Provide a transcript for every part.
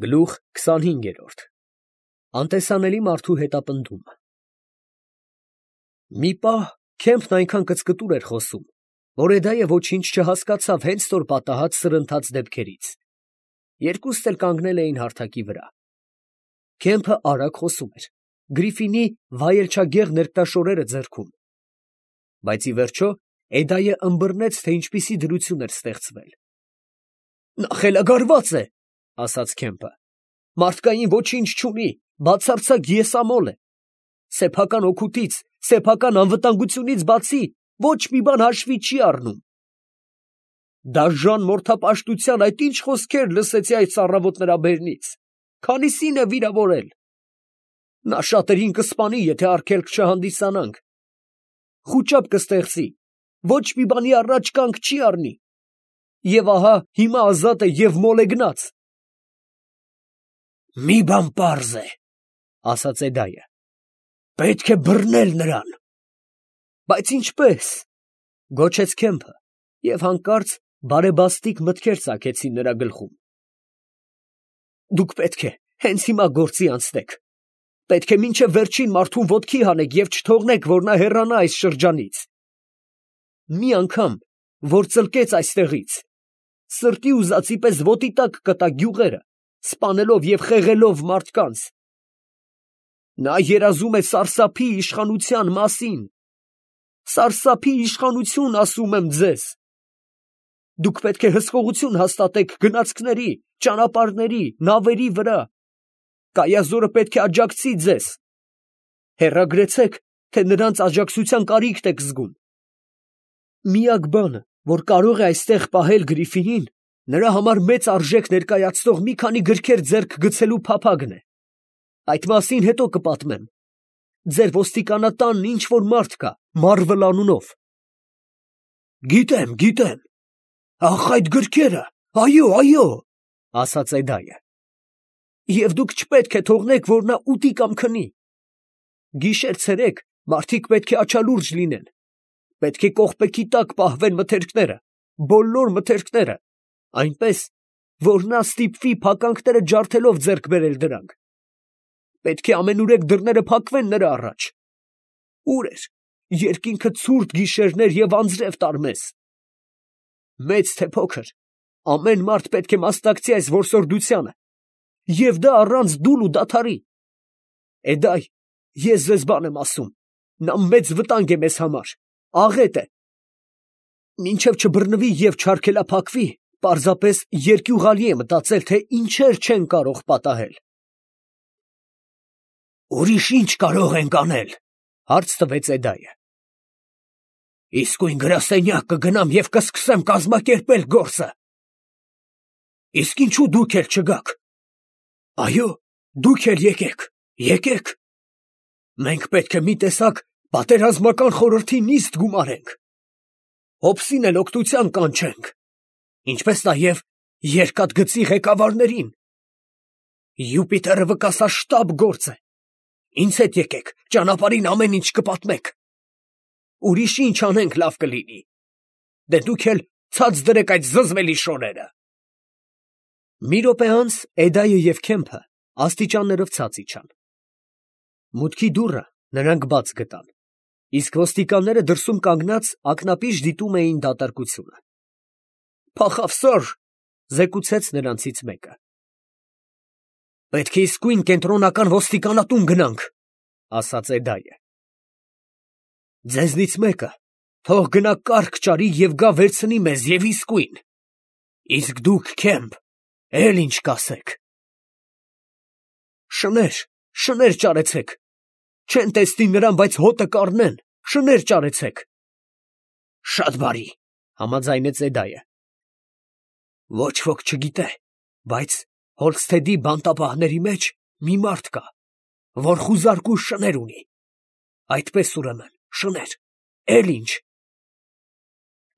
Գլուխ 25 Անտեսանելի մարդու հետապնդում։ Մի պահ Քեմփն այնքան կծկտուր էր խոսում, որ Էդայը ոչինչ չհասկացավ հենց նոր պատահած սրընթաց դեպքերից։ Երկուստ էլ կանգնել էին հարթակի վրա։ Քեմփը արագ խոսում էր, Գրիֆինի վայելչագեղ ներկտաշորերը ձեռքում։ Բայց ի վերջո Էդայը ըմբռնեց, թե ինչպիսի դրություն էր ստեղծվել։ Նա խելագարված է, ասաց Քեմփը, մարդկային ոչինչ չունի, բացարձակ եսամոլ է, սեփական օգուտից, սեփական անվտանգությունից բացի ոչ մի բան հաշվի չի առնում։ Դաժան մորթապաշտության այդ ինչ խոսքեր լսեցի այդ ծառավոտ նրա բերնից, քանիսին է վիրավորել։ Նա շատերին կսպանի, եթե արգելք չհանդիսանանք, խուճապ կստեղծի, ոչ մի բանի առաջ կանգ չի առնի, և ահա հիմա ազատ է և մոլեգնած։ Մի բան պարզ է, ասաց Էդայը, պետք է բռնել նրան։ Բայց ինչպես, գոչեց Քեմփը, և հանկարծ բարեբաստիկ մտքեր ծագեցին նրա գլխում։ Դուք պետք է հենց հիմա գործի անցնեք, պետք է մինչև վերջին մարդուն ոտքի հանեք և չթողնեք, որ նա հեռանա այս շրջանից։ Մի անգամ, որ ծլկեց այստեղից, սրտի ուզածի պես ոտի տակ կտա գյուղերը, սպանելով և խեղելով մարդկանց։ Նա երազում է սարսափի իշխանության մասին։ Սարսափի իշխանություն, ասում եմ ձեզ։ Դուք պետք է հսկողություն հաստատեք գնացքների, ճանապարհների, նավերի վրա։ Կայազորը պետք է աջակցի ձեզ։ Հեռագրեցեք, թե նրանց աջակցության կարիք եք զգում։ Միակ բանը, որ կարող է այստեղ պահել Գրիֆինին, նրա համար մեծ արժեք ներկայացնող մի քանի գրքեր ձեռք գցելու փափագն է։ Այդ մասին հետո կպատմեմ։ Ձեր ոստիկանատանն ինչ-որ մարդ կա, Մարվլ անունով։ Գիտեմ, ախ, այդ գրքերը, այո, ասաց Էդայը։ Եվ դուք չպետք է թողնեք, որ նա ուտի կամ քնի։ Գիշեր-ցերեկ մարդիկ պետք է աչալուրջ լինեն։ Պետք է կողպեքի տակ պահվեն մթերքները, բոլոր մթերքները, այնպես, որ նա ստիպվի փականքները ջարդելով ձեռք բերել դրանք։ Պետք է ամենուրեք դռները փակվեն նրա առաջ։ Ուր էր, երկինքը ցուրտ գիշերներ և անձրև տարմես։ Մեծ թե փոքր, ամեն մարդ պետք է մասնակցի այս որսորդությանը, և դա առանց դուլ ու դադարի։ Էդայ, ես ձեզ բան եմ ասում, նա մեծ վտանգ է մեզ համար, աղետ է։ Մինչև չբռնվի և չարգելափակվի, պարզապես երկյուղալի է մտածել, թե ինչեր չեն կարող պատահել։ Ուրիշ ինչ կարող ենք անել, հարց տվեց Էդայը։ Իսկույն գրասենյակ կգնամ և կսկսեմ կազմակերպել գործը։ Իսկ ինչու դուք էլ չգաք։ Այո, դուք էլ եկեք։ Մենք պետք է մի տեսակ պատերազմական խորհրդի նիստ գումարենք։ Հոբսին էլ օգնության կանչենք, ինչպես նաև երկաթգծի ղեկավարներին։ Յուպիտերը վկասաշտապ գործ է։ Ինձ հետ եկեք, ճանապարհին ամեն ինչ կպատմեք։ Ուրիշ ինչ անենք լավ կլինի։ Դե դուք էլ ցած դրեք այդ զզվելի շորերը։ Մի րոպե անց Էդայը և Քեմփը աստիճաններով ցած իջան։ Մուտքի դուռը նրանք բաց գտան, իսկ ոստիկանները դրսում կանգնած ակնապիշ դիտում էին դատարկությունը։ Փախավ սըր, զեկուցեց նրանցից մեկը։ Պետք է իսկույն կենտրոնական ոստիկանատուն գնանք, ասաց Էդայը։ Ձեզնից մեկը թող գնա կառք ճարի և գա վերցնի մեզ և իսկույն։ Իսկ դուք, Քեմփ, էլ ինչ կասեք։ Շներ ճարեցեք։ Չեն տեսնի նրան, բայց հոտը կառնեն, շներ ճարեցեք։ Շատ բարի, համաձայնեց Էդայը։ Ոչ ոք չգիտե, բայց Հոլստեդի բանտապահների մեջ մի մարդ կա, որ խուզարկու շներ ունի։ Այդպես ուրեմն, շներ, էլ ինչ։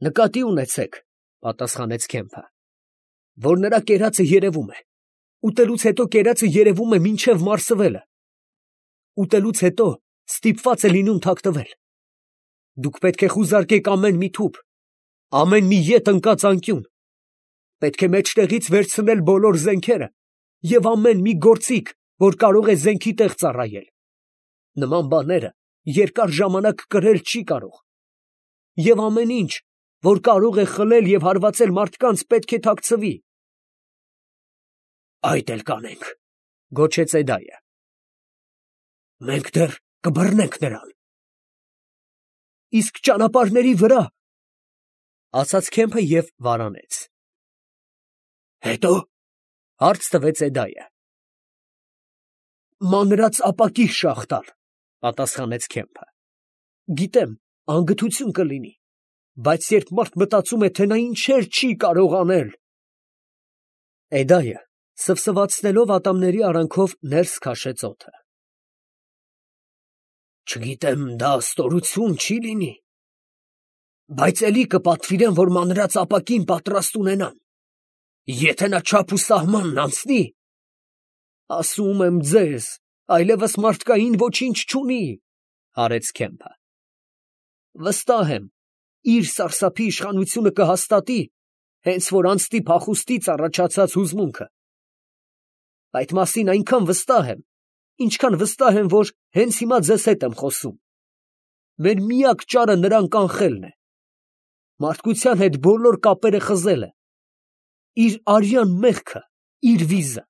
Նկատի ունեցեք, պատասխանեց Քեմփը, որ նրա կերածը երևում է։ Ուտելուց հետո կերածը երևում է մինչև մարսվելը։ Ուտելուց հետո ստիպված է լինում թաքնվել։ Դուք պետք է խուզարկեք ամեն մի թուփ, ամեն մի ետ ընկած անկյուն։ Պետք է մեջտեղից վերցնել բոլոր զենքերը և ամեն մի գործիք, որ կարող է զենքի տեղ ծառայել։ Նման բաները երկար ժամանակ կրել չի կարող։ Եվ ամեն ինչ, որ կարող է խլել և հարվածել մարդկանց, պետք է թաքցվի։ Այդ էլ կանենք, գոչեց Էդայը։ Մենք դեռ կբռնենք նրան։ Իսկ ճանապարհների վրա, ասաց Քեմփը և վարանեց։ Հետո, հարց տվեց Էդայը։ Մանրած ապակի շաղ տալ, պատասխանեց Քեմփը։ Գիտեմ, անգթություն կլինի, բայց երբ մարդ մտածում է, թե նա ինչեր չի կարող անել… Էդայը սվսվացնելով ատամների արանքով ներս քաշեց օդը։ Չգիտեմ, դա ստորություն չի լինի, բայց էլի կպատվիրեմ, որ մանրած ապակին պատրաստ ունենան, եթե նա չափ ու սահմանն անցնի… Ասում եմ ձեզ, այլևս մարդկային ոչինչ չունի, հարեց Քեմփը։ Վստահ եմ, իր սարսափի իշխանությունը կհաստատի, հենց որ անցնի փախուստից առաջացած հուզմունքը։ Այդ մասին այնքան վստահ եմ, ինչքան վստահ եմ, որ հենց հիմա ձեզ հետ եմ խոսում։ Մեր միակ ճարը նրան կանխելն է։ Մարդկության հետ բոլոր կապերը խզելը։ Իր արյան մեղքը, իր վիզը։